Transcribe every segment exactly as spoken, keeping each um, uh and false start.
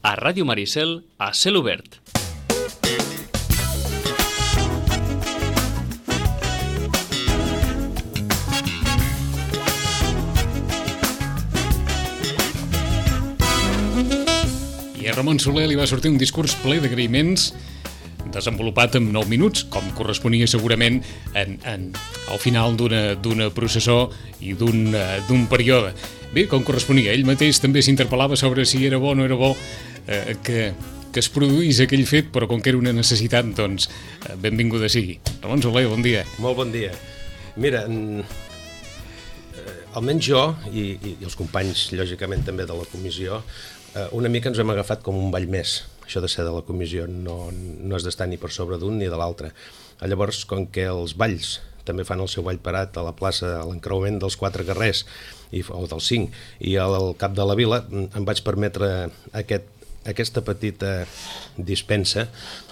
a Ràdio Maricel a cel obert. I a Ramon Soler li va sortir un discurs ple d'agraïments desenvolupat en nou minuts, com corresponia segurament en, en, al final d'una d'una processó i d'un d'un període. Bé, com corresponia, ell mateix també s'interpel·lava sobre si era bo o no era bo eh, que, que es produís aquell fet, però com que era una necessitat, doncs, eh, benvinguda sigui. Ramon Soler, bon dia. Molt bon dia. Mira, eh, almenys jo, i, i, i els companys, lògicament, també de la comissió, eh, una mica ens hem agafat com un ball més. Això de ser de la comissió no, no és d'estar ni per sobre d'un ni de l'altre. Llavors, com que els balls també fan el seu ball parat a la plaça, a l'encreuament dels quatre carrers, i, o dels cinc, i al cap de la vila, em vaig permetre aquest, aquesta petita dispensa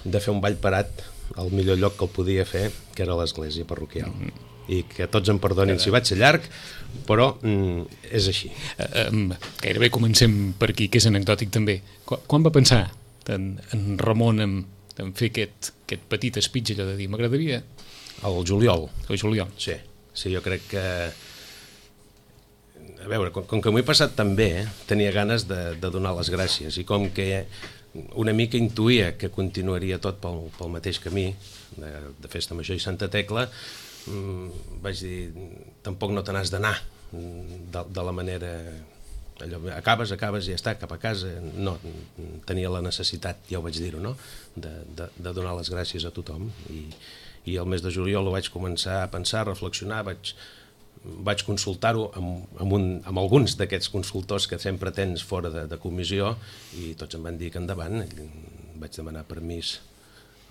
de fer un ball parat al millor lloc que el podia fer, que era l'església parroquial. Mm-hmm. I que tots em perdonin si vaig ser llarg, però mm, és així. Uh, um, gairebé comencem per aquí, que és anecdòtic també. Quan, quan va pensar en, en Ramon en, en fer aquest, aquest petit speech, allò de dir, m'agradaria... El juliol. El juliol. Sí, sí, jo crec que... A veure, com, com que m'ho he passat tan bé, eh, tenia ganes de, de donar les gràcies, i com que una mica intuïa que continuaria tot pel, pel mateix camí, de, de Festa Major i Santa Tecla, mmm, vaig dir, tampoc no te n'has d'anar de, de la manera... Allò, acabes, acabes i ja està, cap a casa. No, tenia la necessitat, ja ho vaig dir-ho, no? De, de, de donar les gràcies a tothom. I, i el mes de juliol ho vaig començar a pensar, a reflexionar, vaig, vaig consultar-ho amb, amb, un, amb alguns d'aquests consultors que sempre tens fora de, de comissió, i tots em van dir que endavant. Vaig demanar permís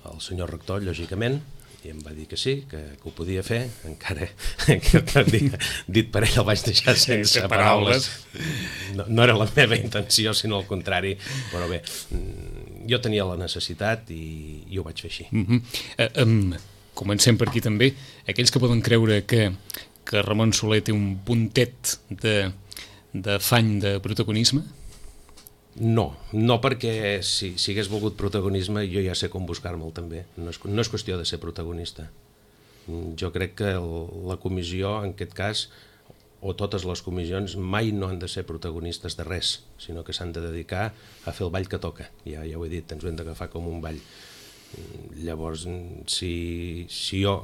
al senyor rector, lògicament, i em va dir que sí, que, que ho podia fer, encara que dit, dit per ell el vaig deixar sense paraules. No, no era la meva intenció, sinó al contrari, però bé, jo tenia la necessitat i, i ho vaig fer així. Mm-hmm. uh, um, comencem per aquí també. Aquells que poden creure que, que Ramon Soler té un puntet de, d'afany de protagonisme? No, no perquè si, si hagués volgut protagonisme jo ja sé com buscar-me'l també, no és, no és qüestió de ser protagonista. Jo crec que el, la comissió en aquest cas, o totes les comissions, mai no han de ser protagonistes de res, sinó que s'han de dedicar a fer el ball que toca, ja, ja ho he dit, ens ho hem d'agafar com un ball. Llavors, si, si jo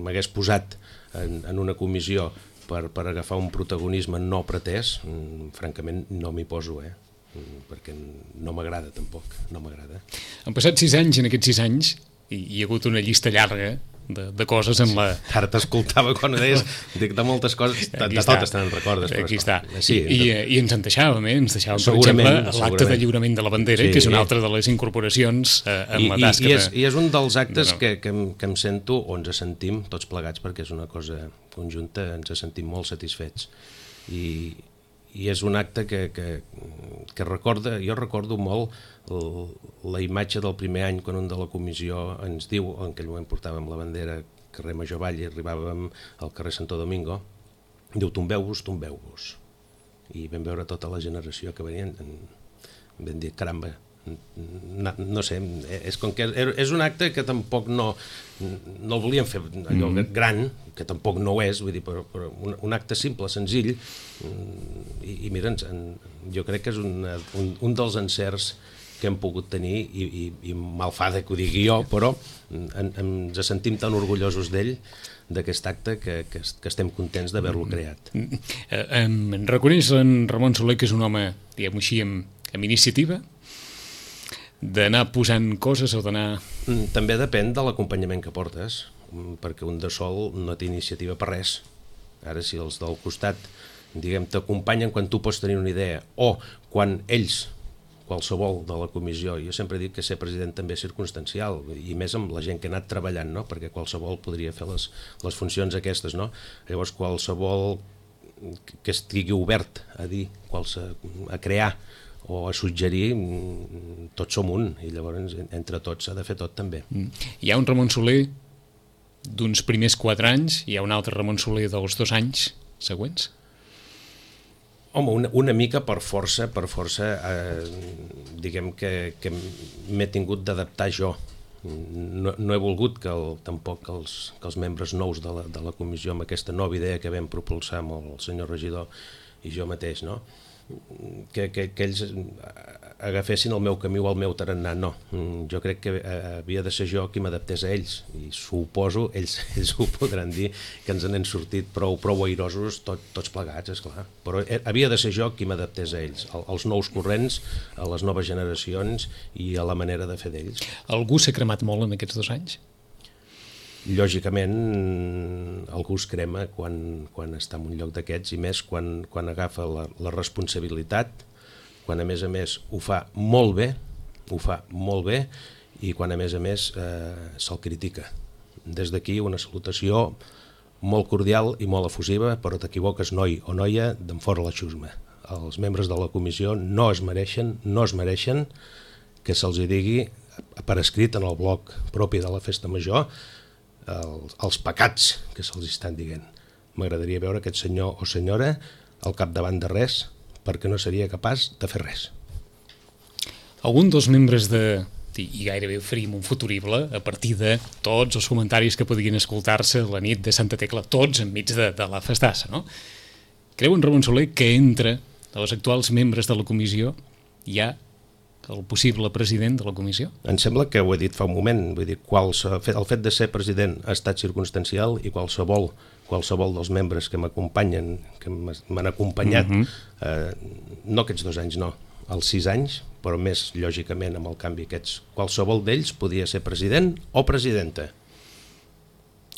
m'hagués posat en, en una comissió per, per agafar un protagonisme no pretès, francament no m'hi poso, eh? Perquè no m'agrada tampoc, no m'agrada. Han passat sis anys, en aquests sis anys, i hi ha hagut una llista llarga de, de coses en la... Ara t'escoltava quan ho deies, dic de moltes coses, de, de totes te'n recordes. Però aquí està. Sí, I, i, I ens en deixàvem, eh? Ens deixàvem, per exemple, l'acte de lliurament de la bandera, sí, que és una altra de les incorporacions eh, en I, la tasca. I, i, és, I és un dels actes no, no. Que, que, que em sento, o ens sentim tots plegats, perquè és una cosa conjunta, ens sentim molt satisfets. I... i és un acte que, que, que recorda, jo recordo molt el, la imatge del primer any quan un de la comissió ens diu, en aquell moment portàvem la bandera carrer Major Vall i arribàvem al carrer Santo Domingo, diu tombeu-vos, tombeu-vos, i vam veure tota la generació que venien, vam dir caramba, no, no sé, és, com que és un acte que tampoc no, no el volíem fer allò mm. gran, que tampoc no ho és, vull dir, però, però un, un acte simple, senzill, i, i mira, en, jo crec que és una, un, un dels encerts que hem pogut tenir, i, i, i malfada que ho digui jo, però en, ens sentim tan orgullosos d'ell, d'aquest acte, que, que, que estem contents d'haver-lo creat. Mm. Eh, em reconeix en Ramon Soler que és un home, diguem-ho així, amb, amb iniciativa, d'anar posant coses o d'anar... També depèn de l'acompanyament que portes, perquè un de sol no té iniciativa per res. Ara, si els del costat, diguem, t'acompanyen quan tu pots tenir una idea, o quan ells, qualsevol de la comissió, jo sempre dic que ser president també és circumstancial, i més amb la gent que ha anat treballant, no? Perquè qualsevol podria fer les, les funcions aquestes, no? Llavors, qualsevol que estigui obert a dir, a crear, o a suggerir, tots som un, i llavors entre tots s'ha de fer tot també. Hi ha un Ramon Soler d'uns primers quatre anys, hi ha un altre Ramon Soler dels dos anys següents? Home, una, una mica per força, per força, eh, diguem que, que m'he tingut d'adaptar jo. No, no he volgut que el, tampoc que els, que els membres nous de la, de la comissió, amb aquesta nova idea que vam propulsar amb el senyor regidor i jo mateix, no? Que, que, que ells agafessin el meu camí o el meu tarannà, no. Jo crec que havia de ser jo qui m'adaptés a ells, i suposo, ells, ells ho podran dir, que ens n'hem sortit prou, prou airosos tot, tots plegats, esclar. Però havia de ser jo qui m'adaptés a ells, als nous corrents, a les noves generacions i a la manera de fer d'ells. Algú s'ha cremat molt en aquests dos anys? Lògicament, algú es crema quan, quan està en un lloc d'aquests, i més quan, quan agafa la, la responsabilitat, quan a més a més ho fa molt bé, ho fa molt bé, i quan a més a més eh, se'l critica. Des d'aquí una salutació molt cordial i molt efusiva, però t'equivoques, noi o noia, d'en fora la xusma. Els membres de la comissió no es mereixen, no es mereixen que se'ls digui per escrit en el bloc propi de la Festa Major Els, els pecats que se'ls estan dient. M'agradaria veure aquest senyor o senyora al capdavant de res, perquè no seria capaç de fer res. Algun dels membres de, i gairebé oferim un futurible a partir de tots els comentaris que podien escoltar-se la nit de Santa Tecla, tots enmig de, de la festassa, no? Creu en Ramon Soler que entre els actuals membres de la comissió hi ha el possible president de la comissió? Em sembla que ho he dit fa un moment, vull dir, qualsevol, el fet de ser president ha estat circumstancial, i qualsevol, qualsevol dels membres que m'acompanyen, que m'han acompanyat, mm-hmm. eh, no aquests dos anys, no, els sis anys, però més lògicament amb el canvi aquests, qualsevol d'ells podia ser president o presidenta.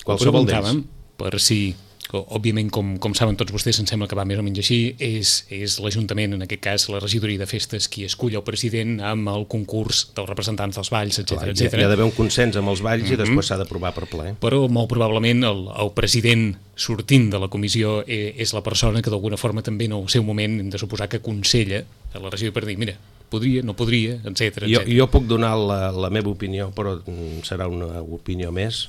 Qualsevol d'ells. Per si... Òbviament, com, com saben tots vostès, em sembla que va més o menys així, és, és l'Ajuntament, en aquest cas la regidoria de festes, qui escull el president amb el concurs dels representants dels balls, etcètera, etcètera. Hi ha d'haver un consens amb els balls, mm-hmm. i després s'ha d'aprovar per ple. Però molt probablement el, el president sortint de la comissió és la persona que d'alguna forma també en el seu moment hem de suposar que aconsella a la regidoria per dir, mira, podria, no podria, etcètera, etcètera. Jo, jo puc donar la, la meva opinió, però serà una opinió més,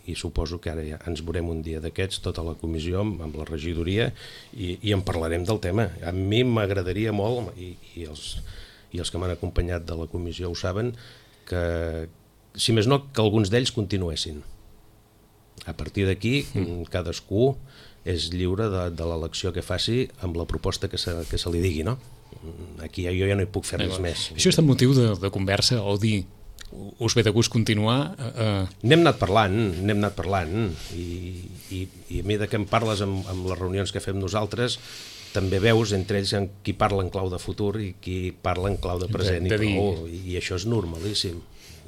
i suposo que ara ja ens veurem un dia d'aquests, tota la comissió amb la regidoria, i, i en parlarem del tema. A mi m'agradaria molt, i, i, els, i els que m'han acompanyat de la comissió ho saben, que si més no, que alguns d'ells continuessin. A partir d'aquí, mm. cadascú és lliure de, de l'elecció que faci amb la proposta que se, que se li digui, no? Aquí jo ja no hi puc fer res més. Això és el motiu de, de conversa, o dir us ve de gust continuar? Uh... N'hem anat parlant, n'hem anat parlant, i, i, i a mi de què em parles amb, amb les reunions que fem nosaltres, també veus entre ells en qui parla en clau de futur i qui parla en clau de present, de, de i prou, i, i això és normalíssim.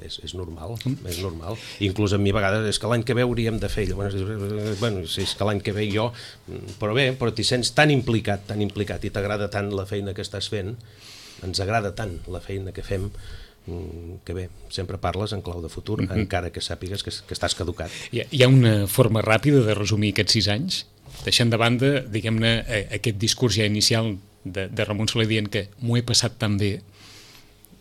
És, és normal, mm. és normal. Inclús a mi a vegades és que l'any que ve hauríem de fer, bueno, bueno si és que l'any que ve jo, però bé, però t'hi sents tan implicat, tan implicat, i t'agrada tant la feina que estàs fent, ens agrada tant la feina que fem, que bé, sempre parles en clau de futur, mm-hmm. encara que sàpigues que, que estàs caducat. Hi ha, hi ha una forma ràpida de resumir aquests sis anys, deixant de banda, diguem-ne, aquest discurs ja inicial de, de Ramon Soler dient que m'ho he passat tan bé.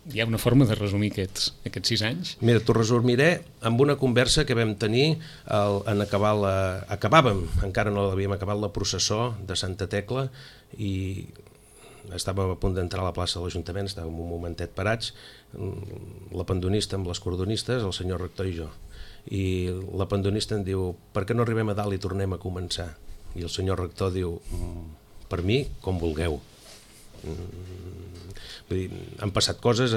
Hi ha una forma de resumir aquests, aquests sis anys? Mira, t'ho resumiré amb una conversa que vam tenir el, en acabar la... Acabàvem, encara no l'havíem acabat, la processó de Santa Tecla, i estàvem a punt d'entrar a la plaça de l'Ajuntament, estàvem un momentet parats, la pandonista amb les cordonistes, el senyor rector i jo. I la pandonista em diu, per què no arribem a dalt i tornem a començar? I el senyor rector diu, per mi, com vulgueu. Vull dir, han passat coses,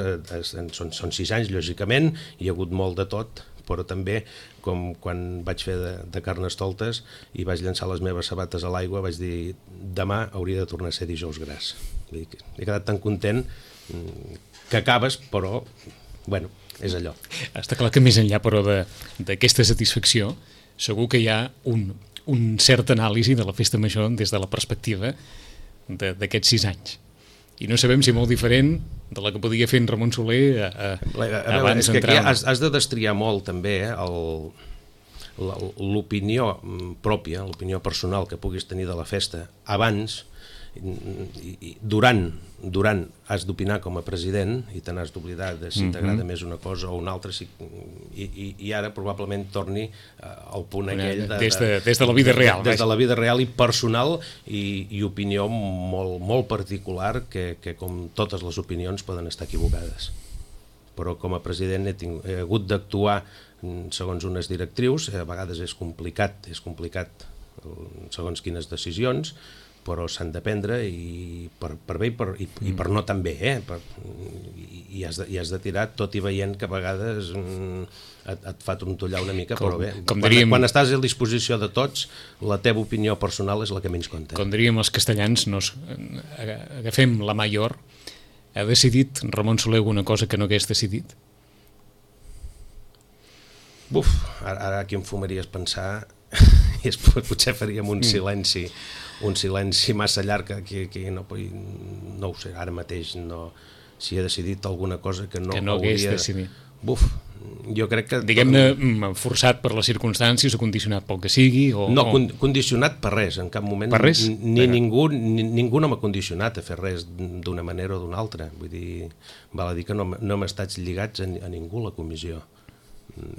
són, són sis anys, lògicament, hi ha hagut molt de tot, però també, com quan vaig fer de, de Carnestoltes i vaig llançar les meves sabates a l'aigua, vaig dir, demà hauria de tornar a ser dijous gras. Vull dir, he quedat tan content que acabes, però, bueno, és allò. Està clar que més enllà, però, d'aquesta satisfacció, segur que hi ha un, un cert anàlisi de la festa major des de la perspectiva d'aquests sis anys. I no sabem si molt diferent de la que podia fer en Ramon Soler a, a, a abans d'entrar. Has, has de destriar molt també l'opinió pròpia, l'opinió personal que puguis tenir de la festa abans i, i durant, durant has d'opinar com a president i te n'has d'oblidar de si t'agrada mm-hmm. més una cosa o una altra, si, i, i, i ara probablement torni al punt aquell de, des, de, des de la vida real. Des de la vida real i personal i, i opinió molt, molt particular que, que com totes les opinions poden estar equivocades. Però com a president he, tingut, he hagut d'actuar segons unes directrius, a vegades és complicat, és complicat segons quines decisions, però s'han de prendre i per, per bé i per, i, i per no tan bé, eh? per, i, i, has de, i has de tirar tot i veient que a vegades mm, et, et fa trontollar una mica, com, però bé, quan, diríem, quan estàs a disposició de tots, la teva opinió personal és la que menys compta. Com diríem els castellans, nos, agafem la major. Ha decidit Ramon Soler alguna cosa que no hagués decidit? Buf, ara, ara aquí em fumaries pensar i es, potser faríem un silenci un silenci massa llarg que, que no, no ho sé, ara mateix no, si he decidit alguna cosa que no, que no hagués hauria... decidit. Buf, jo crec que... Diguem-ne, forçat per les circumstàncies o condicionat pel que sigui? O, no, o... condicionat per res, en cap moment. Per res? Ni Però... ningú, ni, ningú no m'ha condicionat a fer res d'una manera o d'una altra. Vull dir, val a dir que no, no hem estat lligats a, a ningú a la comissió.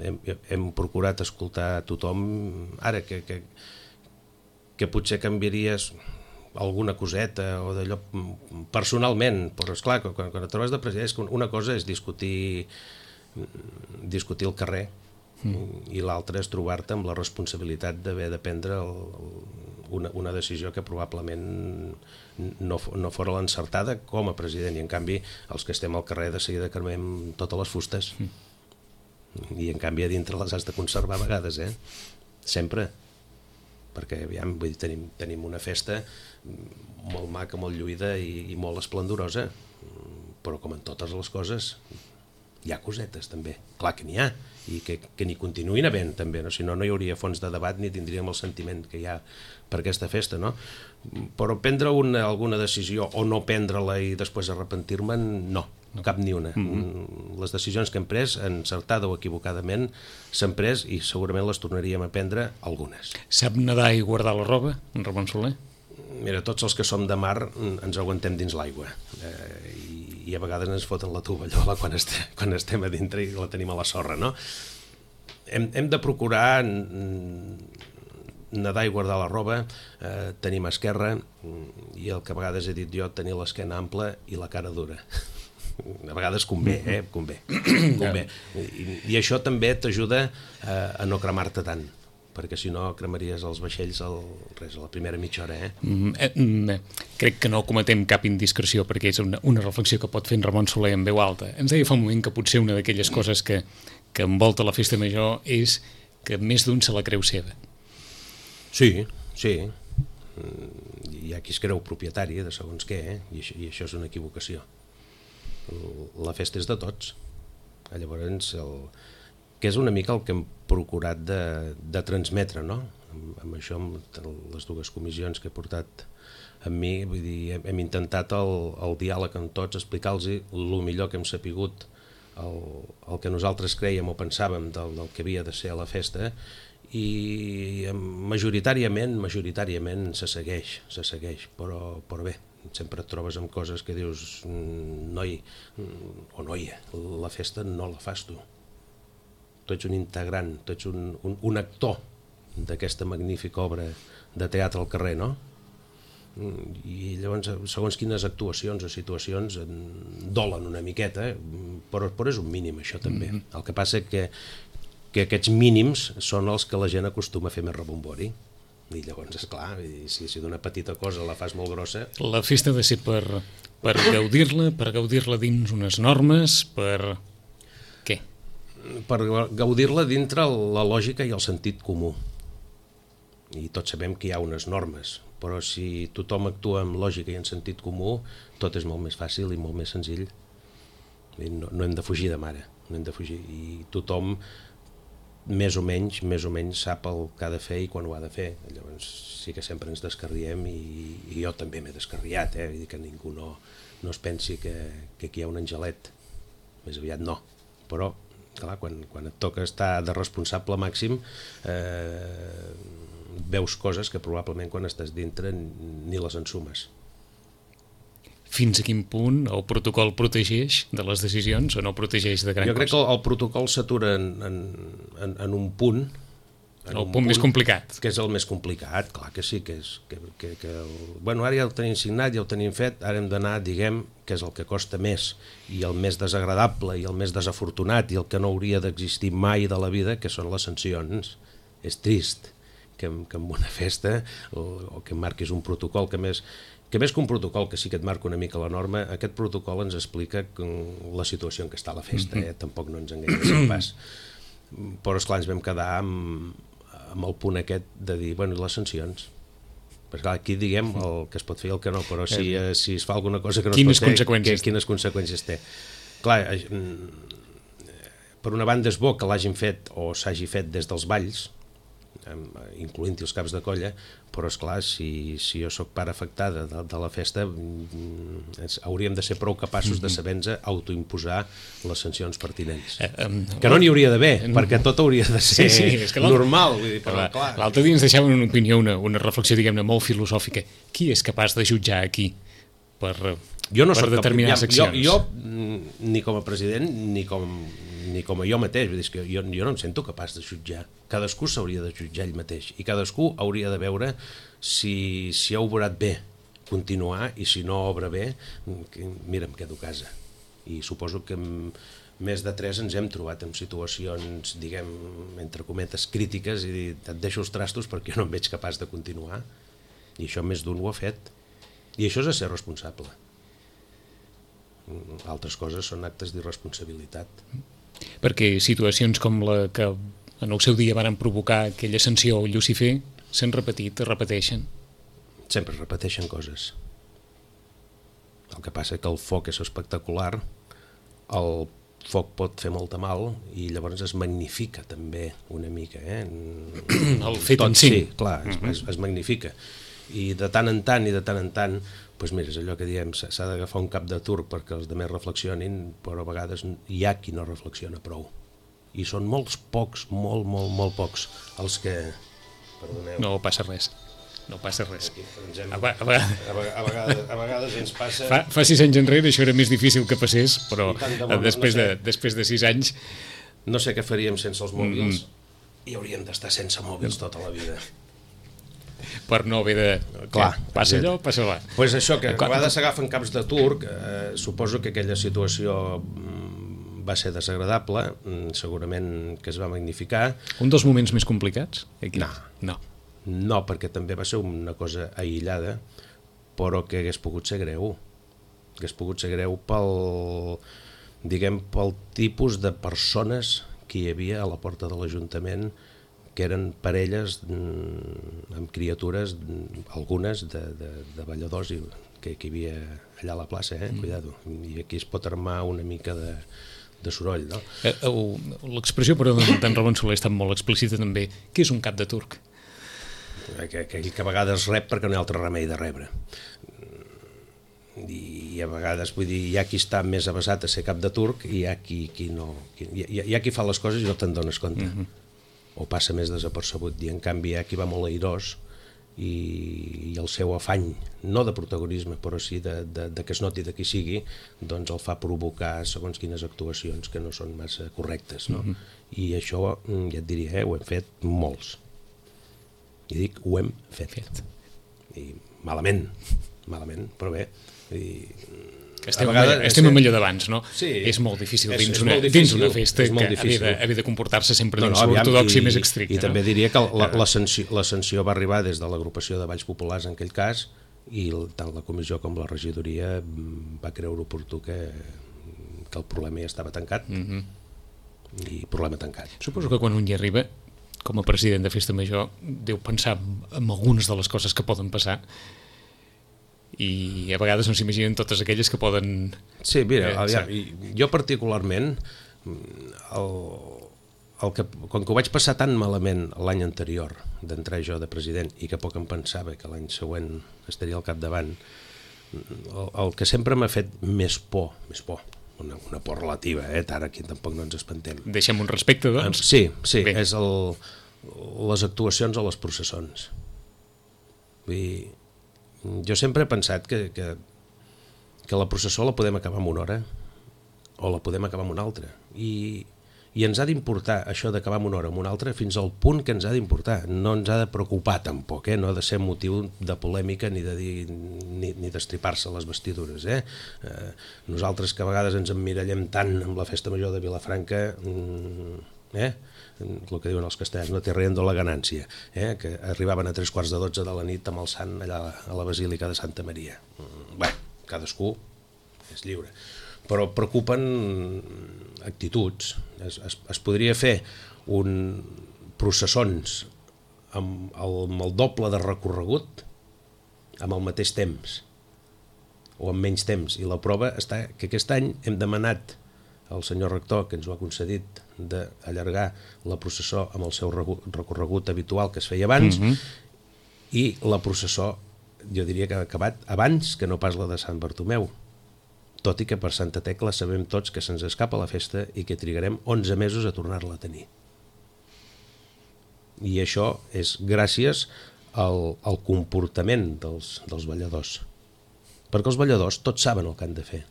Hem, hem procurat escoltar a tothom. Ara que, que, que potser canviaries alguna coseta o d'allò personalment, però esclar, quan, quan et trobes de president, una cosa és discutir discutir el carrer mm. i l'altra és trobar-te amb la responsabilitat d'haver de prendre el, el, una, una decisió que probablement no, no fora l'encertada com a president, i en canvi els que estem al carrer de seguida cremem totes les fustes mm. i en canvi a dintre les has de conservar a vegades, eh? Sempre, perquè aviam, vull dir, tenim, tenim una festa molt maca, molt lluïda i, i molt esplendorosa, però com en totes les coses hi ha cosetes també, clar que n'hi ha, i que, que n'hi continuïn havent també, no? Si no, no hi hauria fons de debat ni tindríem el sentiment que hi ha per aquesta festa, no? Però prendre una, alguna decisió o no prendre-la i després arrepentir-me'n, no, cap ni una. Mm-hmm. Les decisions que hem pres, encertada o equivocadament, s'han pres i segurament les tornaríem a prendre algunes. Sap nedar i guardar la roba, en Ramon Soler? Mira, tots els que som de mar ens aguantem dins l'aigua, eh, i i a vegades ens foten la tovallola quan estem, quan estem a dintre i la tenim a la sorra, no? Hem, hem de procurar nedar i guardar la roba, eh, tenir mà esquerra, i el que a vegades he dit jo, tenir l'esquena ampla i la cara dura. A vegades convé, eh? Convé. convé. I, I això també t'ajuda eh, a no cremar-te tant, perquè si no cremaries els vaixells al, res, a la primera mitja hora, eh? Mm, eh, mm, crec que no cometem cap indiscreció, perquè és una, una reflexió que pot fer en Ramon Soler en veu alta. Ens deia fa un moment que potser una d'aquelles coses que, que envolta la festa major és que més d'un se la creu seva. Sí, sí. Hi ha qui es creu propietari de segons què, eh? I, això, i això és una equivocació. La festa és de tots. Llavors, el... que és una mica el que hem procurat de, de transmetre, no? Amb, amb això, amb les dues comissions que he portat amb mi, vull dir, hem, hem intentat el, el diàleg amb tots, explicar-los el millor que hem sapigut, el, el que nosaltres creiem o pensàvem del, del que havia de ser a la festa, i majoritàriament, majoritàriament se segueix, se segueix, però, però bé, sempre et trobes amb coses que dius, noi o noia, la festa no la fas tu. Tu ets un integrant, tu ets un, un, un actor d'aquesta magnífica obra de teatre al carrer, no? I llavors, segons quines actuacions o situacions dolen una miqueta, però, però és un mínim això també. Mm-hmm. El que passa que, que aquests mínims són els que la gent acostuma a fer més rebombori. I llavors, esclar, si, si d'una petita cosa la fas molt grossa... La festa ha de ser per, per gaudir-la, per gaudir-la dins unes normes, per... què? Per gaudir-la dintre la lògica i el sentit comú. I tots sabem que hi ha unes normes, però si tothom actua amb lògica i en sentit comú, tot és molt més fàcil i molt més senzill. No, no hem de fugir de mare, no hem de fugir. I tothom, més o menys, més o menys sap el que ha de fer i quan ho ha de fer. Llavors sí que sempre ens descarriem i, i jo també m'he descarriat, eh? Vull dir que ningú no, no es pensi que, que aquí hi ha un angelet. Més aviat no, però... Clar, quan, quan et toca estar de responsable màxim, eh, veus coses que probablement quan estàs dintre ni les ensumes. fins a quin punt el protocol protegeix de les decisions o no protegeix de gran cosa? Jo crec que el, el protocol s'atura en, en, en, en un punt, en el un punt més complicat. Que és el més complicat, clar que sí, que és... Que, que, que el, bueno, ara ja el tenim signat, ja el tenim fet, ara hem d'anar, diguem, que és el que costa més, i el més desagradable, i el més desafortunat, i el que no hauria d'existir mai de la vida, que són les sancions. És trist que, que en una festa, o, o que marquis un protocol, que més, que més que un protocol, que sí que et marca una mica la norma, aquest protocol ens explica la situació en què està la festa, eh? Tampoc no ens enganyem pas. Però, esclar, ens vam quedar amb, amb el punt aquest de dir, bueno, i les sancions? Perquè clar, aquí diguem el que es pot fer i el que no, però si, eh, si es fa alguna cosa que no quines es pot fer, conseqüències? Que, quines conseqüències té? Clar, per una banda és bo que l'hagin fet o s'hagi fet des dels balls, incloent-hi els caps de colla, però esclar, si, si jo sóc part afectada de, de la festa, hauríem de ser prou capaços de saber-nos autoimposar les sancions pertinents. Eh, um, que no n'hi hauria d'haver, um, perquè tot hauria de ser sí, sí, és que normal. Vull dir, però, clar. L'altre dia ens deixaven una opinió, una, una reflexió, diguem-ne, molt filosòfica. Qui és capaç de jutjar aquí per, jo no per determinades cap, accions? Jo, jo, ni com a president, ni com, ni com a jo mateix, vull dir, que jo, jo no em sento capaç de jutjar. Cadascú s'hauria de jutjar ell mateix i cadascú hauria de veure si, si ha obrat bé continuar i si no obra bé, mira, em quedo a casa. I suposo que més de tres ens hem trobat en situacions, diguem, entre cometes, crítiques i dir, et deixo els trastos perquè jo no em veig capaç de continuar. I això més d'un ho ha fet. I això és ser responsable. Altres coses són actes d'irresponsabilitat. Perquè situacions com la que en el seu dia van provocar aquella sanció al Llucifer s'han repetit, es repeteixen. Sempre es repeteixen coses. El que passa és que el foc és espectacular, el foc pot fer molta mal i llavors es magnifica també una mica. Eh? El fet Tot, en si. Sí, clar, es, uh-huh. es, es magnifica. I de tant en tant i de tant en tant, doncs mira, és allò que diem, s'ha d'agafar un cap de turc perquè els altres reflexionin, però a vegades hi ha qui no reflexiona prou. I són molts pocs, molt, molt, molt pocs, els que... Perdoneu. No passa res, no passa res. Aquí, hem... a, a, a, a, vegades, a vegades ens passa... Fa, fa sis anys enrere això era més difícil que passés, però de després, no sé, de, després de sis anys... No sé què faríem sense els mòbils, mm. i hauríem d'estar sense mòbils tota la vida. Per no haver de... Clar, passa allò, passa allò. Doncs pues això, que a vegades s'agafen caps de turc, eh, suposo que aquella situació va ser desagradable, segurament que es va magnificar. Un dels moments més complicats? Aquí? No. No. No, perquè també va ser una cosa aïllada, però que hagués pogut ser greu. Hagués pogut ser greu pel, diguem, pel tipus de persones que hi havia a la porta de l'Ajuntament, que eren parelles amb criatures, algunes de, de, de balladors i, que, que hi havia allà a la plaça, eh? Cuidado. I aquí es pot armar una mica de, de soroll, no? Eh, l'expressió, però, d'en Ramon Soler ha estat molt explícita també. Què és un cap de turc? Que, que, que a vegades rep perquè no hi ha altre remei de rebre. I a vegades, vull dir, hi ha qui està més avasat a ser cap de turc i hi ha qui, qui no... Qui, hi, ha, hi ha qui fa les coses i no te'n dones compte. Mm-hmm. O passa més desapercebut, i en canvi hi ha qui va molt airós i, i el seu afany, no de protagonisme, però sí de, de, de que es noti de qui sigui, doncs el fa provocar segons quines actuacions que no són massa correctes, no? Mm-hmm. I això, ja et diria, eh, ho hem fet molts. I dic, ho hem fet. fet. I malament, malament, però bé. I... Estem, vegades, estem en allò d'abans, no? Sí, és molt difícil és, dins, és una, molt difícil, dins una festa que havia de, havia de comportar-se sempre dins no, no, l'ortodoxia més estricta. I, i no? també diria que la, la, sanció, la sanció va arribar des de l'agrupació de Balls Populars en aquell cas, i tant la comissió com la regidoria va creure oportú que, que el problema ja estava tancat, mm-hmm. i problema tancat. Suposo que quan un hi arriba, com a president de Festa Major, deu pensar en algunes de les coses que poden passar, i a vegades no s'imaginen totes aquelles que poden... Sí, mira, eh, aviam, jo particularment, el, el que, com que ho vaig passar tan malament l'any anterior d'entrar jo de president i que poc em pensava que l'any següent estaria al capdavant, el, el que sempre m'ha fet més por, més por, una, una por relativa, eh? Ara aquí tampoc no ens espantem. Deixem un respecte, doncs? Sí, sí, Bé. és el, les actuacions a les processons. Vull dir, jo sempre he pensat que, que, que la processó la podem acabar en una hora o la podem acabar en una altra. I, i ens ha d'importar això d'acabar en una hora o en una altra fins al punt que ens ha d'importar. No ens ha de preocupar tampoc, eh? No ha de ser motiu de polèmica ni de dir, ni, ni d'estripar-se les vestidures. Eh? Eh, nosaltres que a vegades ens emmirallem tant amb la festa major de Vilafranca, eh? el que diuen els castellans, no té riendo la ganància, eh? Que arribaven a tres quarts de dotze de la nit amb el sant allà a la Basílica de Santa Maria. Bé, cadascú és lliure. Però preocupen actituds. Es, es, es podria fer un processons amb el, amb el doble de recorregut amb el mateix temps o amb menys temps, i la prova està que aquest any hem demanat al senyor rector, que ens ho ha concedit, d'allargar la processó amb el seu recorregut habitual que es feia abans, mm-hmm. i la processó jo diria que ha acabat abans que no pas la de Sant Bartomeu, tot i que per Santa Tecla sabem tots que se'ns escapa la festa i que trigarem onze mesos a tornar-la a tenir. I això és gràcies al, al comportament dels, dels balladors. Perquè els balladors tots saben el que han de fer.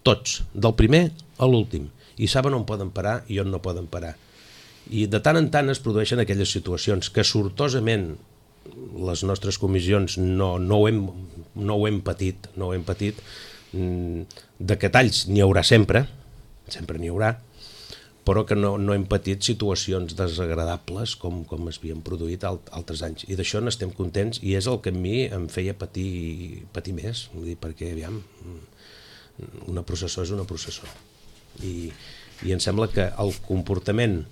Tots, del primer a l'últim. I saben on poden parar i on no poden parar. I de tant en tant es produeixen aquelles situacions que sortosament les nostres comissions no, no, ho, hem, no ho hem patit, no ho hem patit. De que talls n'hi haurà sempre, sempre n'hi haurà, però que no, no hem patit situacions desagradables com, com es havien produït alt, altres anys. I d'això n'estem contents i és el que a mi em feia patir, patir més, vull dir, perquè aviam, una processó és una processó. I, i em sembla que el comportament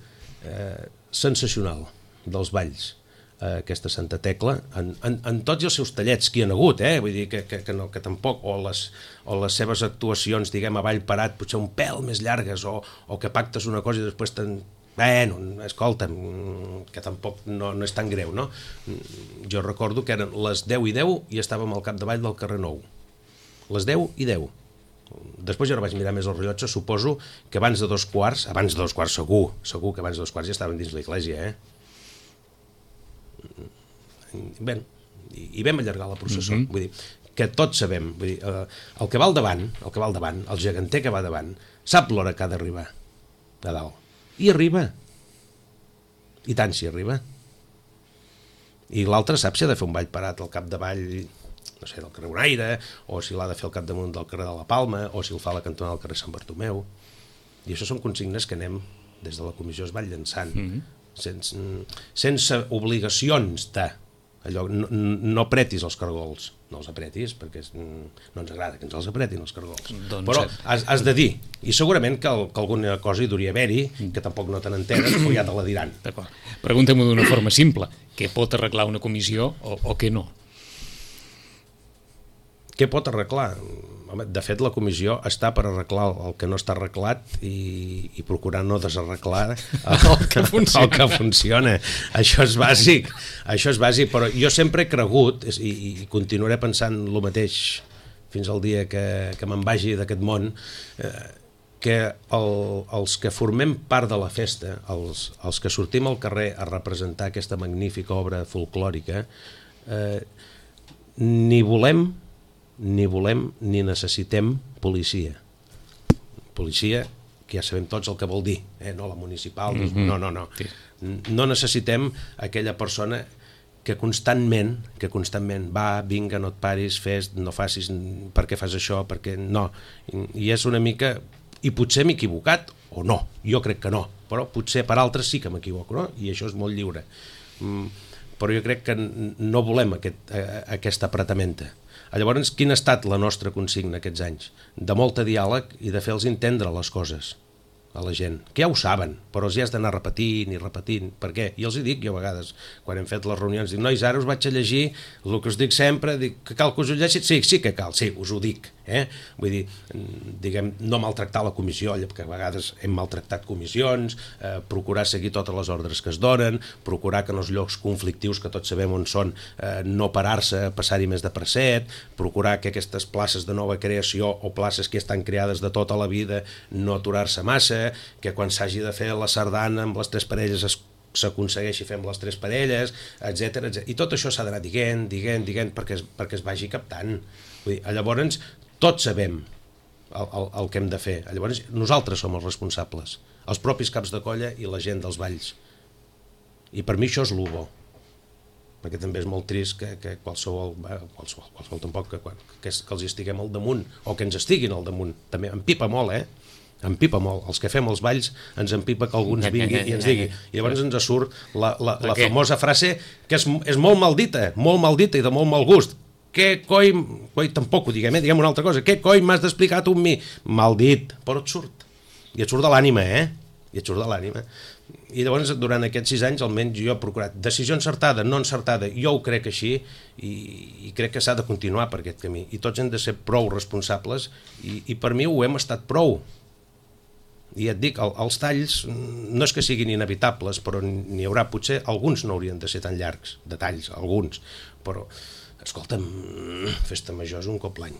eh, sensacional dels balls a aquesta Santa Tecla, en, en, en tots els seus tallets que hi ha hagut, eh? Vull dir que, que, que, no, que tampoc, o les, o les seves actuacions, diguem, a ball parat, potser un pèl més llargues, o, o que pactes una cosa i després te'n... Bueno, escolta'm, que tampoc no, no és tan greu, no? Jo recordo que eren les deu i deu i estàvem al capdavall del carrer Nou. Les deu i deu. Després jo no vaig mirar més el rellotge, suposo que abans de dos quarts, abans de dos quarts segur, segur que abans de dos quarts ja estaven dins l'església, eh? Bé, i vam allargar la processó, mm-hmm. Vull dir, que tots sabem, vull dir, eh, el que va al davant, el que va al davant, el geganter que va davant, sap l'hora que ha d'arribar a dalt, i arriba, i tant si arriba, i l'altre sap si ha de fer un ball parat al capdavall, no sé, del carrer Bonaire, o si l'ha de fer al capdamunt del carrer de la Palma, o si el fa a la cantonada del carrer Sant Bartomeu, i això són consignes que anem, des de la comissió es van llançant, mm-hmm. sense, sense obligacions de allò, no, no apretis els cargols, no els apretis perquè no ens agrada que ens els apretin els cargols, doncs però has, has de dir, i segurament que, el, que alguna cosa hi duria haver-hi, que tampoc no te n'enteres o ja te la diran. D'acord. Pregunta-m'ho d'una forma simple, què pot arreglar una comissió o, o què no? Què pot arreglar? Home, de fet, la comissió està per arreglar el que no està arreglat i, i procurar no desarreglar el, el, que funciona. el que funciona. Això és bàsic, això és bàsic, però jo sempre he cregut, i, i continuaré pensant el mateix fins al dia que, que me'n vagi d'aquest món, eh, que el, els que formem part de la festa, els, els que sortim al carrer a representar aquesta magnífica obra folclòrica, eh, ni volem ni volem ni necessitem policia. Policia, que ja sabem tots el que vol dir, eh? No la municipal, mm-hmm. no, no, no. Sí. No necessitem aquella persona que constantment, que constantment va, vinga, no et paris, fes, no facis, per què fas això, perquè no. I és una mica, i potser m'he equivocat, o no, jo crec que no, però potser per altres sí que m'equivoco, no? I això és molt lliure. Però jo crec que no volem aquest, aquesta apretamenta. Llavors, quina ha estat la nostra consigna aquests anys? De molt diàleg i de fer-los entendre les coses a la gent, que ja ho saben, però els hi has d'anar repetint i repetint. Per què? I els hi dic jo a vegades, quan hem fet les reunions, dic, nois, ara us vaig a llegir el que us dic sempre, dic, que cal que us ho llegeixi? Sí, sí que cal, sí, us ho dic. Eh? Vull dir, diguem, no maltractar la comissió, perquè a vegades hem maltractat comissions, eh, procurar seguir totes les ordres que es donen, procurar que en els llocs conflictius, que tots sabem on són, eh, no parar-se, passar-hi més de preset, procurar que aquestes places de nova creació o places que estan creades de tota la vida no aturar-se massa, que quan s'hagi de fer la sardana amb les tres parelles es s'aconsegueixi fer amb les tres parelles, etcètera. I tot això s'ha d'anar dient, dient, dient, perquè es, perquè es vagi captant. Vull dir, llavors, tots sabem el, el, el que hem de fer. Llavors nosaltres som els responsables, els propis caps de colla i la gent dels balls. I per mi això és l'u bo, perquè també és molt trist que, que qualsevol, qualsevol, qualsevol tampoc, que, que, que els estiguem al damunt, o que ens estiguin al damunt. També em pipa molt, eh? Em pipa molt. Els que fem els balls ens empipa que alguns vingui i ens digui. I llavors ens surt la, la, la famosa frase que és, és molt maldita, molt maldita i de molt mal gust. Què coi... coi tampoc ho diguem, eh? Diguem una altra cosa. Què coi m'has d'explicar tu amb mi? Maldit, però et surt. I et surt de l'ànima, eh? I et surt de l'ànima. I llavors, durant aquests sis anys, almenys jo he procurat decisió encertada, no encertada, jo ho crec així, i, i crec que s'ha de continuar per aquest camí. I tots hem de ser prou responsables, i, i per mi ho hem estat prou. I et dic, el, els talls no és que siguin inevitables, però n'hi haurà, potser alguns no haurien de ser tan llargs, de talls, alguns, però, escolta'm, festa major és un cop l'any.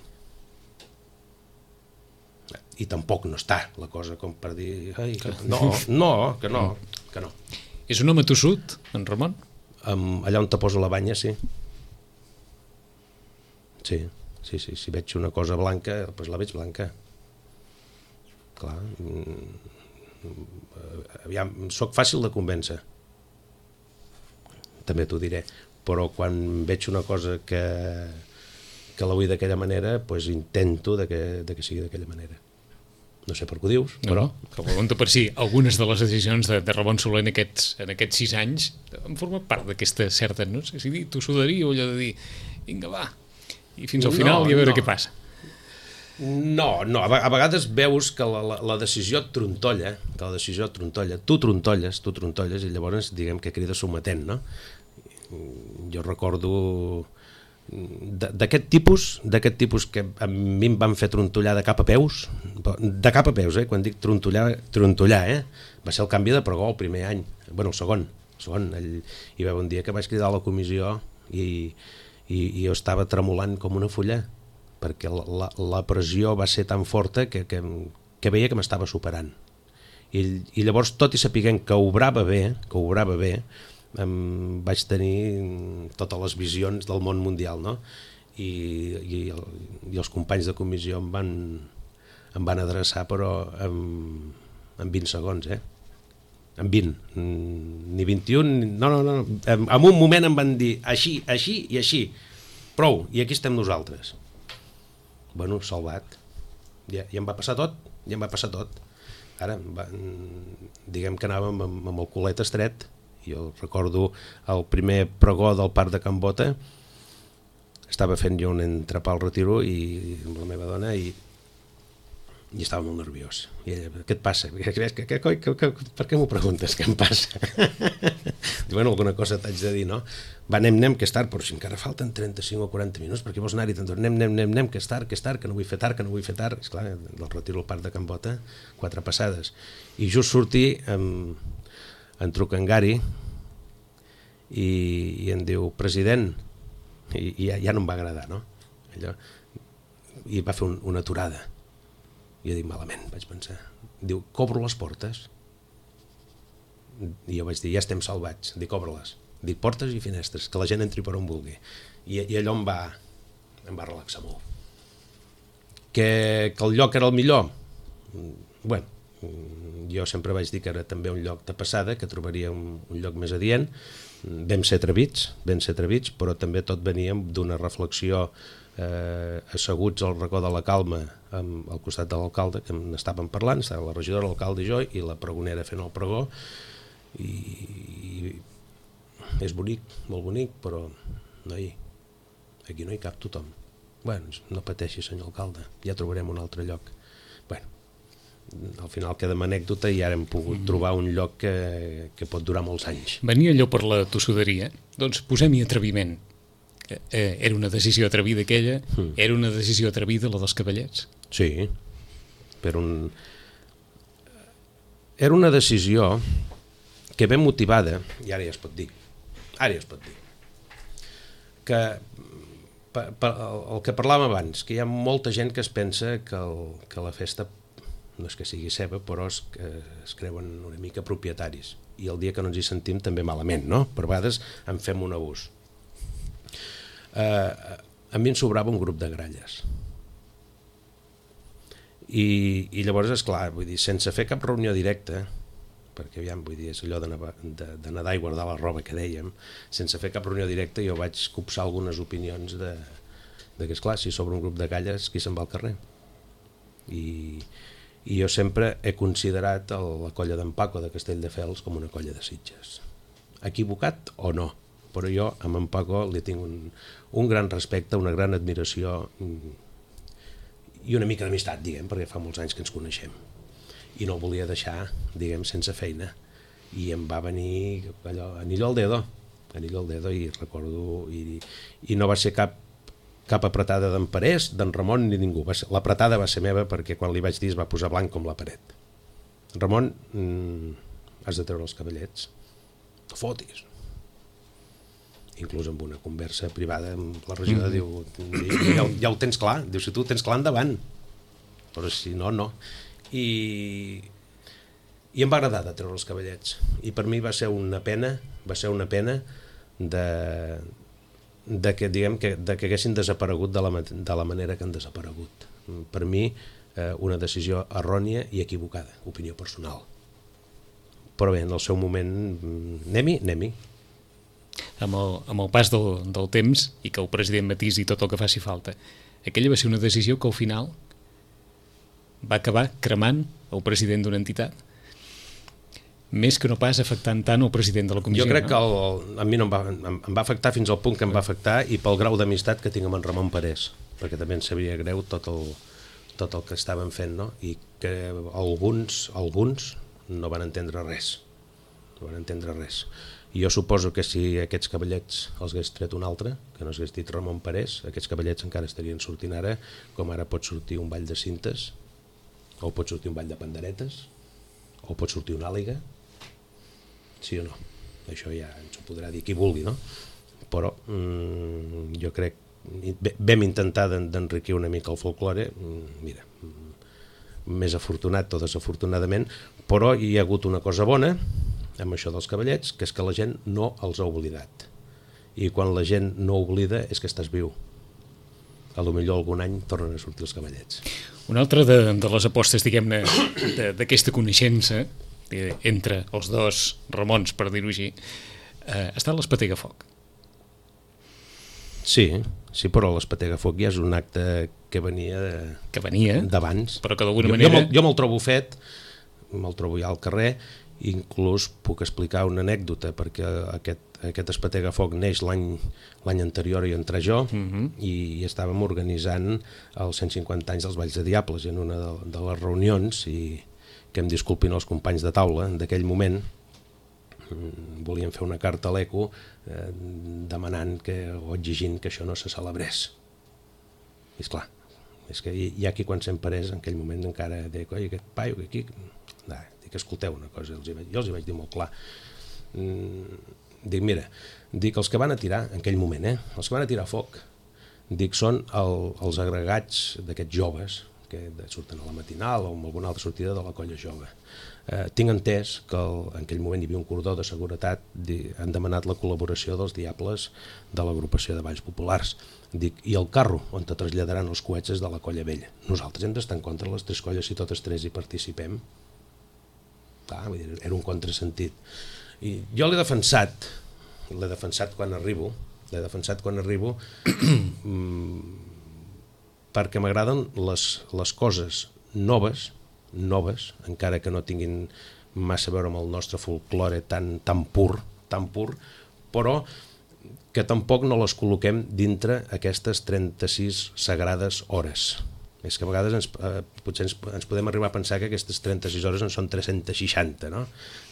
I tampoc no està la cosa com per dir, ai, que no, no, que no, que no. És un home tossut, en Ramon? Um, allà on te poso la banya, sí. Sí, sí, sí, si veig una cosa blanca, doncs la veig blanca. Clar, aviam, soc fàcil de convèncer, també t'ho diré, però quan veig una cosa que, que la vull d'aquella manera, doncs intento de que, de que sigui d'aquella manera. No sé per què ho dius, però... No, que pregunta per si algunes de les decisions de, de Ramon Soler en aquests, en aquests sis anys han format part d'aquesta certa, no sé si dir, tossuderia o allò de dir, vinga va, i fins al final no, i a veure no. què passa. No, no, a vegades veus que la, la, la decisió et trontolla, que la decisió et trontolla, tu trontolles, tu trontolles i llavors diguem que crida sometent, no? Jo recordo d'aquest tipus, d'aquest tipus que a mi em van fer trontollar de cap a peus, de cap a peus, eh? Quan dic trontollar, trontollar, eh? Va ser el canvi de pregó el primer any, bueno, el segon, el segon, el, hi va haver un dia que vaig cridar a la comissió i, i, i jo estava tremolant com una fulla, perquè la, la, la pressió va ser tan forta que, que, que veia que m'estava superant. I, I llavors, tot i sapiguent que obrava bé, que obrava bé, em vaig tenir totes les visions del món mundial, no? I, i, el, i els companys de comissió em van, em van adreçar, però en, en vint segons, eh? En vint, ni vint-i-un, no, no, no, en, en un moment em van dir així, així i així, prou, i aquí estem nosaltres. Bueno, salvat. Ja, ja em va passar tot, ja em va passar tot. Ara, va, diguem que anàvem amb, amb el culet estret. Jo recordo el primer pregó del Parc de Can Bota, estava fent jo un entrepà al retiro i amb la meva dona i, i estava molt nerviós. I ella, què et passa? Que, que, que, que, que, per què m'ho preguntes? Què em passa? Diu, bueno, alguna cosa t'haig de dir, no? Va, anem, anem, que és tard, però si encara falten trenta-cinc o quaranta minuts, perquè vols anar-hi tant? Anem, anem, anem, anem, que és tard, que és tard, que no vull fer tard, que no vull fer tard. Esclar, del retiro al Parc de Can Bota, quatre passades. I just sortir, em, em truca en Gary i, i em diu, president, i, i ja, ja no em va agradar, no? Allò, i va fer un, una aturada. I jo dic, malament, vaig pensar. Diu, cobro les portes? I jo vaig dir, ja estem salvats. Dic, obre-les. Dic, portes i finestres, que la gent entri per on vulgui. I, i allò em va, em va relaxar molt. Que, que el lloc era el millor? Bueno, jo sempre vaig dir que era també un lloc de passada, que trobaria un, un lloc més adient. Vam ser atrevits, vam ser atrevits, però també tot venia d'una reflexió eh, asseguts al racó de la Calma amb, al costat de l'alcalde, que n'estàvem parlant, estava la regidora, l'alcalde i jo, i la pregonera fent el pregó, i, i és bonic, molt bonic, però noi, aquí no hi cap tothom. Bueno, no pateixi, senyor alcalde, ja trobarem un altre lloc. Bueno, al final queda amb anècdota i ara hem pogut mm. trobar un lloc que, que pot durar molts anys. Venia allò per la tossuderia, doncs posem-hi atreviment. Eh, era una decisió atrevida aquella, mm. era una decisió atrevida la dels cavallets. Sí, per un... era una decisió que ben motivada, i ara ja es pot dir, ara ja es pot dir, que pa, pa, el que parlàvem abans, que hi ha molta gent que es pensa que, el, que la festa no és que sigui seva, però es, que es creuen una mica propietaris, i el dia que no ens hi sentim també malament, no? Per vegades en fem un abús. Eh, a mi em sobrava un grup de gralles, I, i llavors, esclar, vull dir, sense fer cap reunió directa, perquè aviam, vull dir, és allò de, de, de nedar i guardar la roba que dèiem, sense fer cap reunió directa jo vaig copsar algunes opinions de, de que, esclar, si sobre un grup de calles, qui se'n va al carrer? I, i jo sempre he considerat el, la colla d'en Paco de Castelldefels com una colla de Sitges. Equivocat o no, però jo amb en Paco li tinc un, un gran respecte, una gran admiració i una mica d'amistat, diguem, perquè fa molts anys que ens coneixem. I no el volia deixar, diguem, sense feina. I em va venir allò, anillo al dedo, anillo al dedo, i recordo, i, i no va ser cap, cap apretada d'en Parés, d'en Ramon, ni ningú. L'apretada va ser meva perquè quan li vaig dir es va posar blanc com la paret. Ramon, mm, has de treure els cavallets. No fotis. Inclús amb una conversa privada amb la regidora, mm-hmm. diu, ja, ja ho tens clar, diu, si tu ho tens clar, endavant, però si no, no. I, i em va agradar de treure els cavallets, i per mi va ser una pena, va ser una pena de, de, que, diguem, que, de que haguessin desaparegut de la, de la manera que han desaparegut. Per mi, eh, una decisió errònia i equivocada, opinió personal. Però bé, en el seu moment, anem-hi, anem-hi. Amb el, amb el pas del, del temps i que el president matisi tot el que faci falta, aquella va ser una decisió que al final va acabar cremant el president d'una entitat, més que no pas afectant tant el president de la comissió. Jo crec no? que el, a mi no em va, em, em va afectar fins al punt que em va afectar, i pel grau d'amistat que tinc amb en Ramon Parés, perquè també em sabia greu tot el, tot el que estaven fent, no? I que alguns, alguns no van entendre res, no van entendre res. I jo suposo que si aquests cavallets els hagués tret un altre, que no s'hagués dit Ramon Parés, aquests cavallets encara estarien sortint ara, com ara pot sortir un ball de cintes, o pot sortir un ball de panderetes, o pot sortir una àliga, sí o no? Això ja ens ho podrà dir qui vulgui, no? Però mm, jo crec, vam intentar d'enriquir una mica el folklore, mira, més afortunat o desafortunadament, però hi ha hagut una cosa bona amb això dels cavallets, que és que la gent no els ha oblidat. I quan la gent no oblida és que estàs viu. A lo millor algun any tornen a sortir els cavallets. Una altra de, de les apostes, diguem-ne, d'aquesta coneixença entre els dos Ramons, per dir-ho així, eh, ha estat l'Espetegafoc. Sí, sí, però l'Espetegafoc ja és un acte que venia que venia d'abans. Però que d'alguna manera... Jo, jo me'l trobo fet, me'l trobo ja al carrer. Inclús puc explicar una anècdota, perquè aquest, aquest Espetegafoc neix l'any l'any anterior i entrar jo, uh-huh. i, i estàvem organitzant els cent cinquanta anys dels Balls de Diables, i en una de, de les reunions, i que em disculpin els companys de taula d'aquell moment, volien fer una carta a l'Eco eh, demanant que, o exigint que això no se celebrés. I esclar, és que hi, hi ha qui quan se'n parés en aquell moment encara deia, oi, aquest paio que aquí... No, dic, escolteu una cosa, els vaig, jo els hi vaig dir molt clar. Mm, dic, mira, dic, els que van a tirar, en aquell moment, eh, els que van a tirar foc, dic, són el, els agregats d'aquests joves, que surten a la matinal o amb alguna altra sortida de la colla jove. Eh, tinc entès que el, en aquell moment hi havia un cordó de seguretat, di, han demanat la col·laboració dels Diables de l'agrupació de Balls Populars. Dic, i el carro on te traslladaran els coets és de la colla vella. Nosaltres hem d'estar en contra de les tres colles si totes tres hi participem. Ah, era un contrasentit. I jo l'he defensat, l'he defensat quan arribo, l'he defensat quan arribo perquè m'agraden les, les coses noves, noves, encara que no tinguin massa a veure amb el nostre folklore tan, tan pur, tan pur, però que tampoc no les col·loquem dintre aquestes trenta-sis sagrades hores. És que a vegades ens, eh, potser ens, ens podem arribar a pensar que aquestes trenta-sis hores en són tres-cents seixanta, no?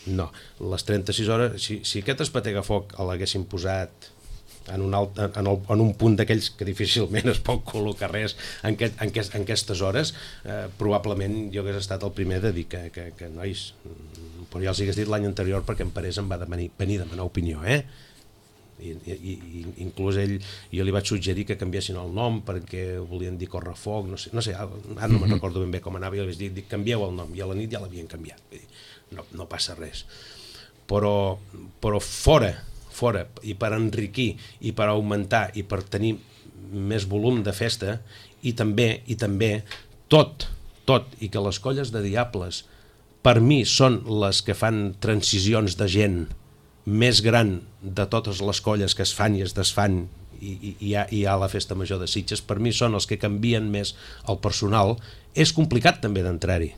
No, les trenta-sis hores, si, si aquest Espetegafoc l'haguessin posat en un, alt, en, el, en un punt d'aquells que difícilment es pot col·locar res en, aquest, en, aquest, en aquestes hores, eh, probablement jo hagués estat el primer de dir que, que, que nois, però ja els hagués dit l'any anterior perquè en Parés em va demanar, venir a demanar opinió, eh? I, i, i inclús ell, jo li vaig suggerir que canviessin el nom perquè volien dir Correfoc, no sé, no sé ara no me'n recordo ben bé com anava, i li vaig dir, dic, canvieu el nom, i a la nit ja l'havien canviat. Vull dir, no, no passa res, però, però fora, fora, i per enriquir, i per augmentar, i per tenir més volum de festa, i també, i també tot, tot i que les colles de diables per mi són les que fan transicions de gent més gran de totes les colles que es fan i es desfan i, i, i, hi ha, hi ha la festa major de Sitges, per mi són els que canvien més el personal, és complicat també d'entrar-hi.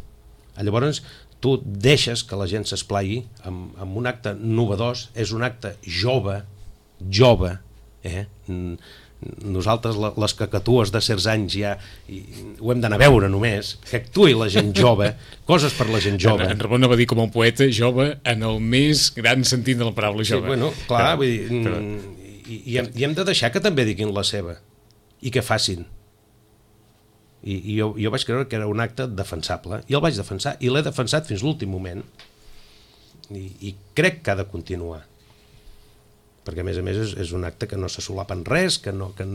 Llavors tu deixes que la gent s'esplai amb, amb un acte novedós, és un acte jove, jove, eh? Nosaltres les cacatues de certs anys ja i, ho hem d'anar a veure només, que actuï la gent jove, coses per la gent jove. En, en Ramon va dir com un poeta jove en el més gran sentit de la paraula jove. Sí, bueno, clar, però, vull dir, però... i, i, hem, i hem de deixar que també diguin la seva i que facin. I, i jo, jo vaig creure que era un acte defensable i el vaig defensar i l'he defensat fins l'últim moment i, i crec que ha de continuar, perquè a més a més és, és un acte que no se solapa en res, que no, que...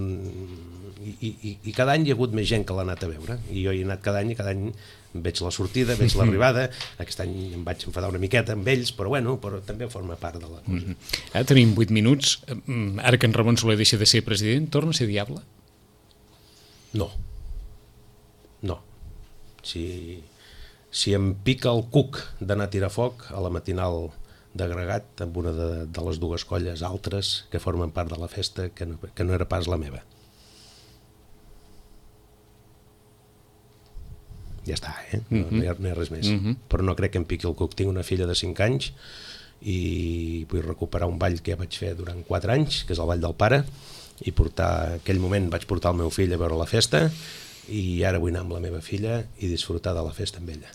I, i, i cada any hi ha hagut més gent que l'ha anat a veure, i jo hi he anat cada any i cada any veig la sortida, veig l'arribada. Aquest any em vaig enfadar una miqueta amb ells, però bueno, però també forma part de la cosa. Mm-hmm. Ara tenim vuit minuts, ara que en Ramon Soler deixa de ser president, torna a ser diable? No, no. Si, si em pica el cuc d'anar a tirar foc a la matinal d'agregat amb una de, de les dues colles altres que formen part de la festa que no, que no era pas la meva. Ja està, eh? No, no, hi ha, no hi ha res més. Mm-hmm. Però no crec que em piqui el cuc. Tinc una filla de cinc anys i vull recuperar un ball que ja vaig fer durant quatre anys, que és el ball del pare, i portar, aquell moment vaig portar el meu fill a veure la festa i ara vull anar amb la meva filla i disfrutar de la festa amb ella.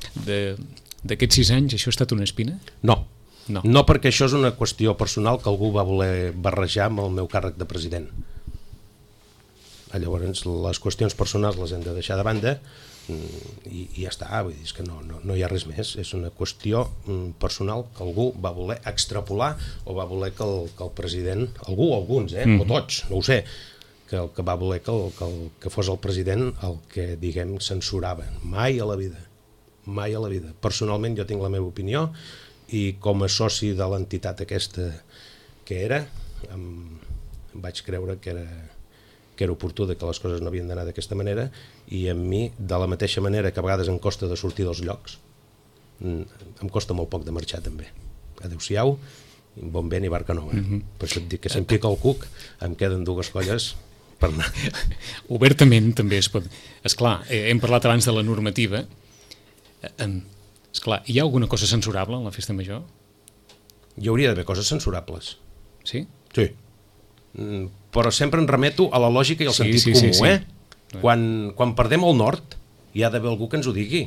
D'aquests sis anys això ha estat una espina? No. No. no, perquè això és una qüestió personal que algú va voler barrejar amb el meu càrrec de president. Llavors, les qüestions personals les hem de deixar de banda i, i ja està, vull dir, és que no, no, no hi ha res més. És una qüestió personal que algú va voler extrapolar o va voler que el, que el president, algú o alguns, eh, mm. o tots, no ho sé, que, que va voler que, el, que, el, que fos el president el que, diguem, censurava. Mai a la vida, mai a la vida. Personalment jo tinc la meva opinió i com a soci de l'entitat aquesta que era, em, em vaig creure que era, que era oportú de que les coses no havien d'anar d'aquesta manera i a mi, de la mateixa manera que a vegades em costa de sortir dels llocs, em costa molt poc de marxar també. Adéu-siau, bon vent i barca nova. Mm-hmm. Per això et dic que si em pica el cuc em queden dues colles per anar. Obertament també es pot... Esclar, hem parlat abans de la normativa. En... Esclar, hi ha alguna cosa censurable en la festa major? Hi hauria d'haver coses censurables. Sí? Sí. Mm, però sempre em remeto a la lògica i al sí, sentit sí, comú, sí, sí. eh? Quan, quan perdem el nord, hi ha d'haver algú que ens ho digui.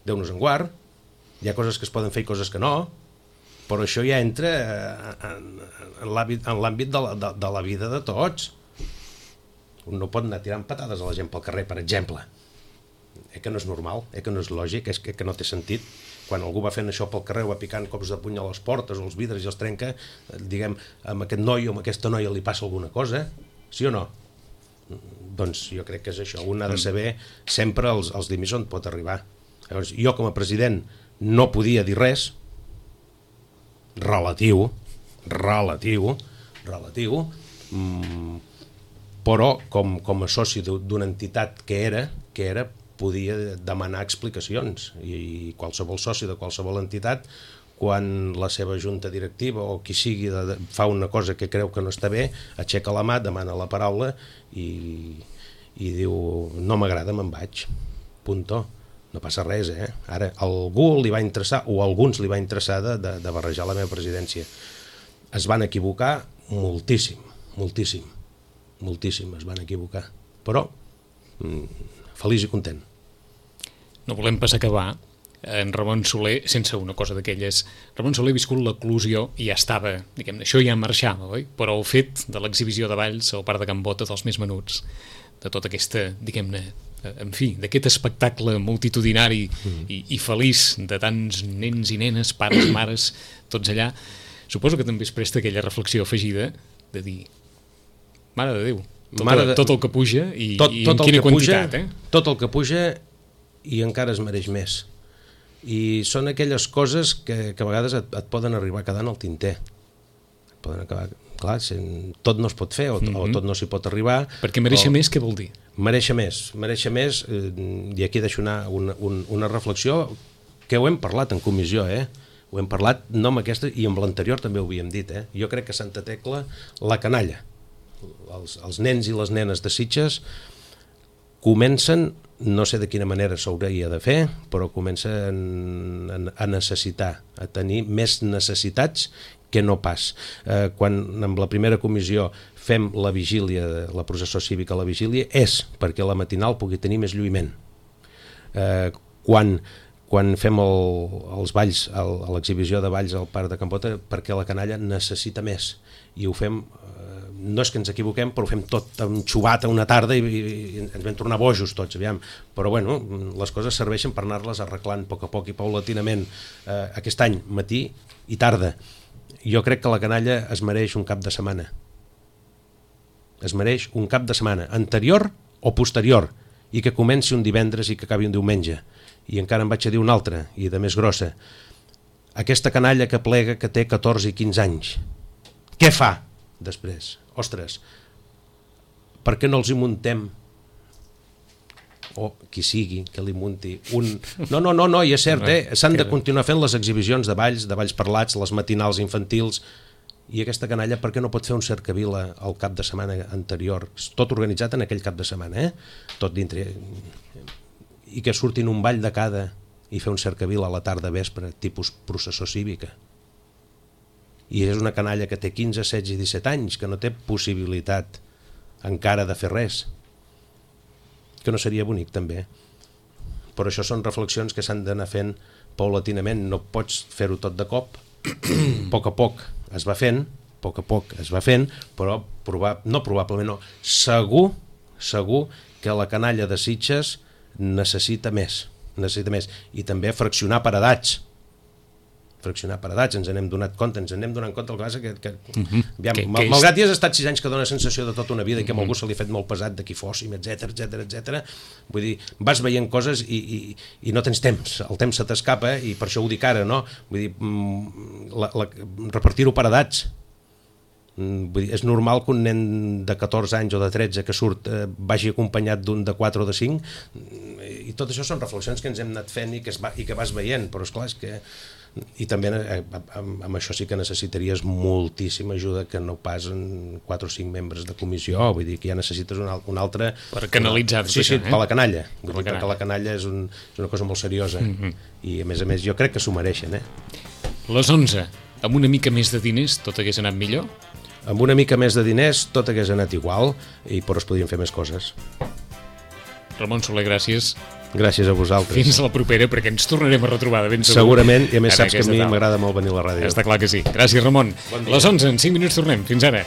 Déu-nos en guard, hi ha coses que es poden fer i coses que no, però això ja entra en, en l'àmbit de, la, de, de la vida de tots. Un no pot anar tirant patades a la gent pel carrer, per exemple. Eh que no és normal, eh que no és lògic, és que, que no té sentit. Quan algú va fent això pel carrer, va picant cops de puny a les portes o els vidres i els trenca, diguem, amb aquest noi o amb aquesta noia li passa alguna cosa, sí o no? Doncs jo crec que és això, un ha de saber sempre els, els límits on pot arribar. Llavors, jo com a president no podia dir res relatiu, relatiu, relatiu, mmm, però com, com a soci d'una entitat que era, que era, podia demanar explicacions i qualsevol soci de qualsevol entitat, quan la seva junta directiva o qui sigui de, de, fa una cosa que creu que no està bé, aixeca la mà, demana la paraula i, i diu no m'agrada, me'n vaig, punto. No passa res, eh? Ara, algú li va interessar, o a alguns li va interessar de, de, de barrejar la meva presidència. Es van equivocar moltíssim, moltíssim, moltíssim es van equivocar, però mm, feliç i content. No volem pas acabar en Ramon Soler sense una cosa d'aquelles. Ramon Soler ha viscut l'eclusió i ja estava, diguem-ne, això ja marxava, oi? Però el fet de l'exhibició de balls al Parc de Can Bota dels més menuts, de tota aquesta, diguem-ne, en fi, d'aquest espectacle multitudinari mm. i, i feliç de tants nens i nenes, pares, mares, tots allà, suposo que també es presta aquella reflexió afegida de dir, mare de Déu, tot, Mare de... tot el que puja i, tot, i tot en quina quantitat, puja, eh? Tot el que puja i encara es mereix més. I són aquelles coses que, que a vegades et, et poden arribar quedant al tinter. Et poden acabar clar, tot no es pot fer o, mm-hmm. o tot no s'hi pot arribar. Perquè mereixer o... més, què vol dir? Mereixer més, mereixer més, eh, i aquí deixo una, una, una reflexió que ho hem parlat en comissió, eh? Ho hem parlat no amb aquesta, i amb l'anterior també ho havíem dit, eh? Jo crec que Santa Tecla, la canalla, els, els nens i les nenes de Sitges comencen, no sé de quina manera s'hauria de fer, però comencen a necessitar, a tenir més necessitats que no pas. Eh, quan amb la primera comissió fem la vigília, la processó cívica a la vigília, és perquè la matinal pugui tenir més lluïment. Eh, quan quan fem el, els balls, el, l'exhibició de balls al Parc de Campota, perquè la canalla necessita més, i ho fem, eh, no és que ens equivoquem, però ho fem tot amb xubata una tarda i, i, i ens vam tornar bojos tots, aviam. Però bueno, les coses serveixen per anar-les arreglant a poc a poc i paulatinament. Eh, aquest any, matí i tarda. Jo crec que la canalla es mereix un cap de setmana. Es mereix un cap de setmana, anterior o posterior, i que comenci un divendres i que acabi un diumenge. I encara em vaig a dir una altra, i de més grossa. Aquesta canalla que plega, que té catorze i quinze anys, què fa després? Ostres, per què no els hi muntem, o qui sigui que li munti un... No, no, no, no, i és cert, eh? S'han de continuar fent les exhibicions de balls, de balls parlats, les matinals infantils, i aquesta canalla per què no pot fer un cercavila al cap de setmana anterior? Tot organitzat en aquell cap de setmana, eh? Tot dintre... i que surtin un ball de cada i fer un cercavila a la tarda vespre, tipus processó cívica. I és una canalla que té quinze, setze i disset anys, que no té possibilitat encara de fer res. Que no seria bonic, també. Però això són reflexions que s'han d'anar fent paulatinament. No pots fer-ho tot de cop. A poc a poc es va fent, a poc a poc es va fent, però proba... no probablement no, segur, segur que la canalla de Sitges necessita més, necessita més, i també fraccionar per edats, fraccionar per edats, ens n'hem donat compte, ens n'hem donat compte el que passa que, que, uh-huh. aviam, que, mal, que és... malgrat hi has estat sis anys que dona sensació de tota una vida i que uh-huh. a algú se li ha fet molt pesat de qui fóssim, etc etc etc. Vull dir, vas veient coses i, i, i no tens temps, el temps se t'escapa, i per això ho dic ara, no? Vull dir, la, la, repartir-ho per edats. Vull dir, és normal que un nen de catorze anys o de tretze que surt eh, vagi acompanyat d'un de quatre o de cinc, i tot això són reflexions que ens hem anat fent i que, es va, i que vas veient, però esclar, és que... I també eh, amb, amb això sí que necessitaries moltíssima ajuda, que no pas en quatre o cinc membres de comissió, vull dir que ja necessites un, un altre... Per canalitzar tot sí, això, sí, eh? per la canalla, vull per dir, la perquè la canalla és, un, és una cosa molt seriosa, mm-hmm. i a més a més jo crec que s'ho mereixen, eh? Les onze, amb una mica més de diners tot hagués anat millor? Amb una mica més de diners tot hagués anat igual, i però es podien fer més coses. Ramon Soler, gràcies. Gràcies a vosaltres. Fins a la propera, perquè ens tornarem a retrobar de ben segur. Segurament, i a més saps que a mi m'agrada molt venir a la ràdio. Està clar que sí. Gràcies, Ramon. Bon Les onze, en cinc minuts tornem. Fins ara.